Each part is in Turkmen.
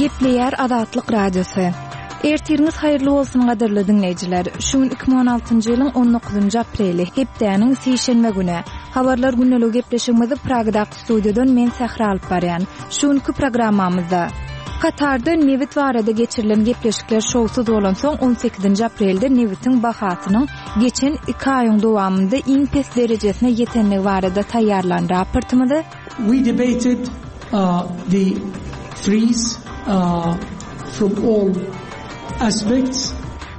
Gepleýär Azatlyk Radiosy. Ertiriňiz haýyrly bolsun gadyrly diňleýjiler. Şu gün 2016-njy ýylyň 19-njy apreli, hepdäniň sişenbe güni. Habarlar gündeligi gepleşigimizi Pragadaky studiýadan men Sähra alyp barýan. Şu günki programmamyzda Katarda nebit barada geçirilen gepleşikler şowsuz bolansoň, 18-nji aprelde nebitiň bahasynyň geçen iki aýyň dowamynda iň pes derejesine ýetendigi barada taýýarlan raportymyzy, We debated the freeze from all aspects.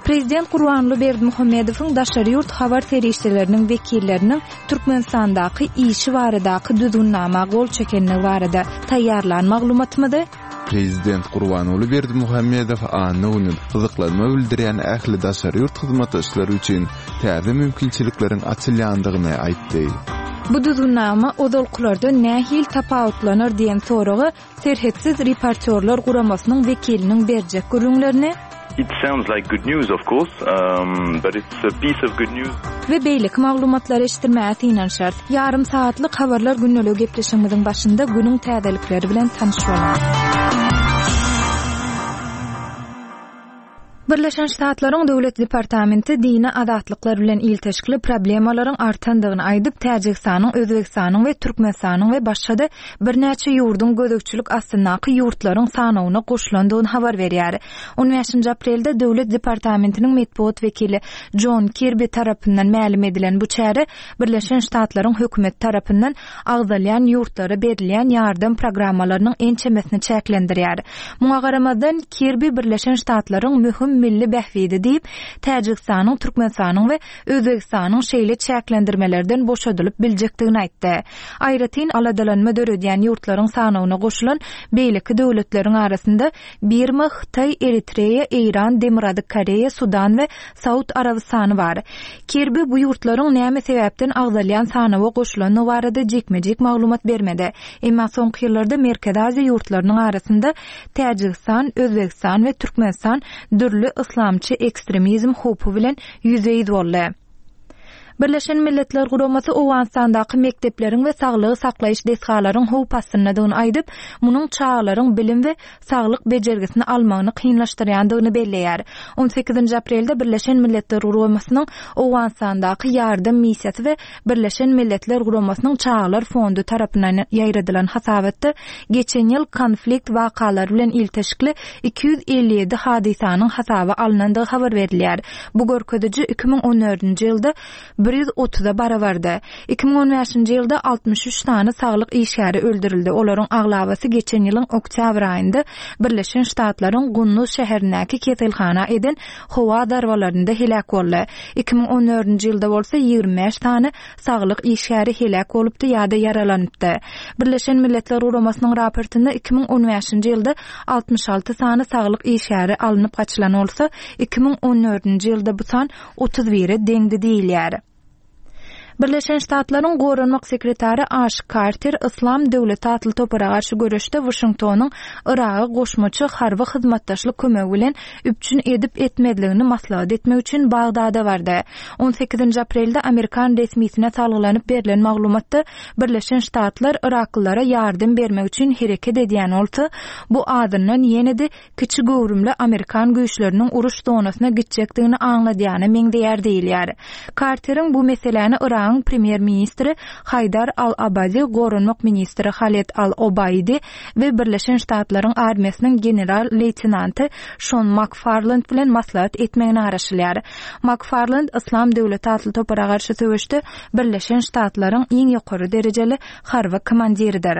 Prezident Gurbanguly Berdimuhamedowyň daşary ýurt habar serişdeleriniň wekilleriniň Türkmenistandaky işi baradaky düzgünnama gol çekenligi barada taýýarlan maglumatymyzy, Prezident Gurbanguly Berdimuhamedow anna güni gyzyklanma bildirýän ähli daşary ýurt hyzmatdaşlary üçin täze mümkinçilikleriň açylýandygyny aýtdy. Bu düzgünnama ozalkylardan nähili tapawutlanar diýen soraga Serhetsiz reportýorlar guramasynyň wekiliniň berjek gürrüňlerini, It sounds like good news of course, but it's a piece of good news. We beýleki maglumatlary eşitdirmäge synanyşarys. Ýarym sagatlyk Habarlar gündeligi gepleşigimiziň başynda günüň täzelikleri bilen tanyş boluň. Birleşen Ştatlaryň Döwlet departamenti dini azatlyklar bilen ilteşikli problemalaryň artandygyny aýdyp, Täjigistanyň, Özbegistanyň we Türkmenistanyň we başga-da birnäçe ýurduň gözegçilik astyndaky ýurtlaryň sanawyna goşulandygyny habar berýär. On bäşinji aprelde Döwlet departamentiniň metbugat wekili Jon Kirbi tarapyndan mälim edilen bu çäre Birleşen Ştatlaryň hökümeti tarapyndan agzalýan ýurtlara berilýän ýardam programmalarynyň ençemesini çäklendirýär. Muňa garamazdan, Kirbi Birleşen Ştatlaryň möhüm milli bähbidi diýip, Täjigistanyň, Türkmenistanyň we Özbegistanyň şeýle çäklendirmelerden boşadylyp biljekdigini aýtdy. Aýratyn aladalanma döredýän ýurtlaryň sanawyna goşulan beýleki döwletleriň arasynda Birma, Hytaý, Eritreýa, Eýran, Demirgazyk Koreýa, Sudan we Saud Arabystany bar. Kirbi bu ýurtlaryň näme sebäpden agzalýan sanawa goşulandygy barada jikme-jik maglumat bermedi. Emma soňky ýyllarda Merkezi Aziýa ýurtlarynyň arasynda Täjigistan, Özbegistan we Türkmenistan dürli yslamçy ekstremizm howpy bilen ýüzbe-ýüz boldy. Birleşen Milletler Guramasy Owganystandaky mekdepleriň we saglygy saklaýyş desgalaryň howp astyndadygyny aýdyp, munuň çagalaryň bilim we saglyk bejergisini almagyny kynlaşdyrýandygyny belleýär. On sekizinji aprelde Birleşen Milletler Guramasynyň Owganystandaky ýardam missiýasy we Birleşen Milletler Guramasynyň Çagalar fondy tarapyndan ýaýradylan hasabatda geçen ýyl konflikt wakalary bilen ilteşikli 257 hadysanyň hasaba alnandygy habar berilýär. Bu görkeziji 2014-nji ýylda 130-a barabardy. 2015-nji ýylda 63 sany saglyk işgäri öldürildi, olaryň aglabasy geçen ýylyň oktýabr aýynda Birleşen Ştatlaryň Gunduz şäherindäki keselhana eden howa zarbalarynda heläk boldy. 2014-nji ýylda bolsa 25 sany saglyk işgäri heläk bolupdy ýa-da ýaralanypdy. Birleşen Milletler Guramasynyň raportynda 2015-nji ýylda 66 sany saglyk işgäri alnyp gaçylan bolsa, 2014-nji ýylda bu san 31-e deňdi diýilýär. Birleşen Ştatlaryň Goranmak sekretary Aş Karter Yslam döwleti atly topara garşy göreşde Waşingtonyň Yragy goşmaça harby hyzmatdaşlyk kömegi bilen üpjün edip-etmezligini maslahat etmek üçin Bagdada bardy. On sekizinji aprelde amerikan resmisine salgylanyp berlen maglumatda Birleşen Ştatlar yraklylara ýardam bermek üçin hereket edýän bolsa, bu azyndan ýene-de kiçi göwrümli amerikan güýçleriniň uruş zonasyna gitjekdigini aňladýana meňzeýär diýilýär. Karteriň bu meseläni Yragyň premýer-ministri Haýdar al-Abadi, goranmak ministri Haled al-Obaidi we Birleşen Ştatlaryň armiýasynyň general-leýtenanty Şon Makfarland bilen maslahat etmegine garaşylýar. Makfarland Yslam döwleti atly topara garşy söweşde Birleşen Ştatlaryň iň ýokary derejeli harby komandiridir.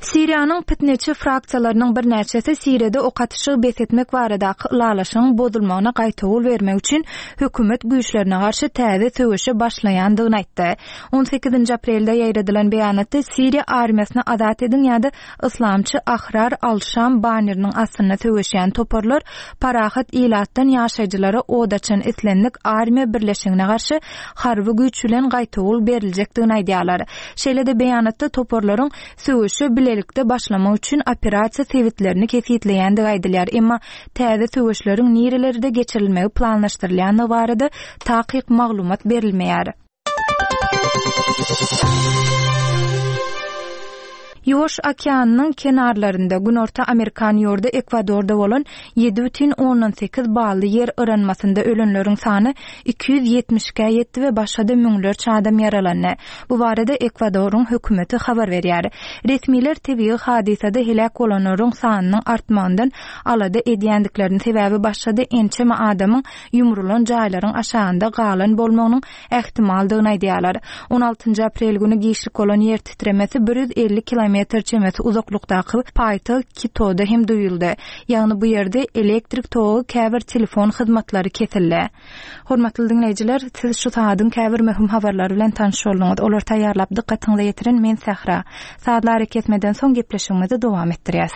Siriýanyň pitneçi fraksiýalarynyň birnäçesi Siriýada ok atyşygy bes etmek baradaky ylalaşygyň bozulmagyna gaýtawul bermek üçin hökümet güýçlerine garşy täze söweşe başlaýandygyny aýtdy. On sekizinji aprelde ýaýradylan beýanatda Siriýa armiýasyny azat ediň ýa-da Yslamçy Ahrar al-Şam banneriniň astynda söweşýän toparlar parahat ilatdan ýaşaýjylara od açan islendik armiýa birleşigine garşy harby güýç bilen gaýtawul beriljekdigini aýdýarlar. Şeýle-de beýanatda toparlaryň söweşe bilelikde başlamak üçin operasiýa sebitlerini kesgitleýändigi aýdylýar, emma täze söweşleriň nirelerde geçirilmegi planlaşdyrylýandygy barada takyk maglumat berilmeýär. Ýuwaş okeanynyň kenarlarynda, Günorta Amerikan ýurdy Ekwadorda bolan 7,8 bally ýer yranmasynda ölenleriň sany 272-ä ýetdi we başga-da müňlerçe adam ýaralandy. Bu barada Ekwadoryň hökümeti habar berýär. Resmiler tebigy hadysada heläk bolanlaryň sanynyň artmagyndan alada edýändiklerini, sebäbi başga-da ençeme adamyň ýumrulan jaýlaryň aşagynda galan bolmagynyň ähtimaldygyny aýdýarlar. On altynjy aprel güni giçlik bolan ýer titremesi 150 kilometr çemesi uzaklykdaky paýtagt Kitoda hem duýuldy. Ýagny bu ýerde elektrik togy, käbir telefon hyzmatlary kesildi. Hormatly diňleýjiler, siz şu sagadyň käbir möhüm habarlary bilen tanyş bolduňyz. Olary taýýarlap dykgatyňyza ýetiren men Sähra. Sazly arakesmeden soň gepleşigimizi dowam etdirýäs.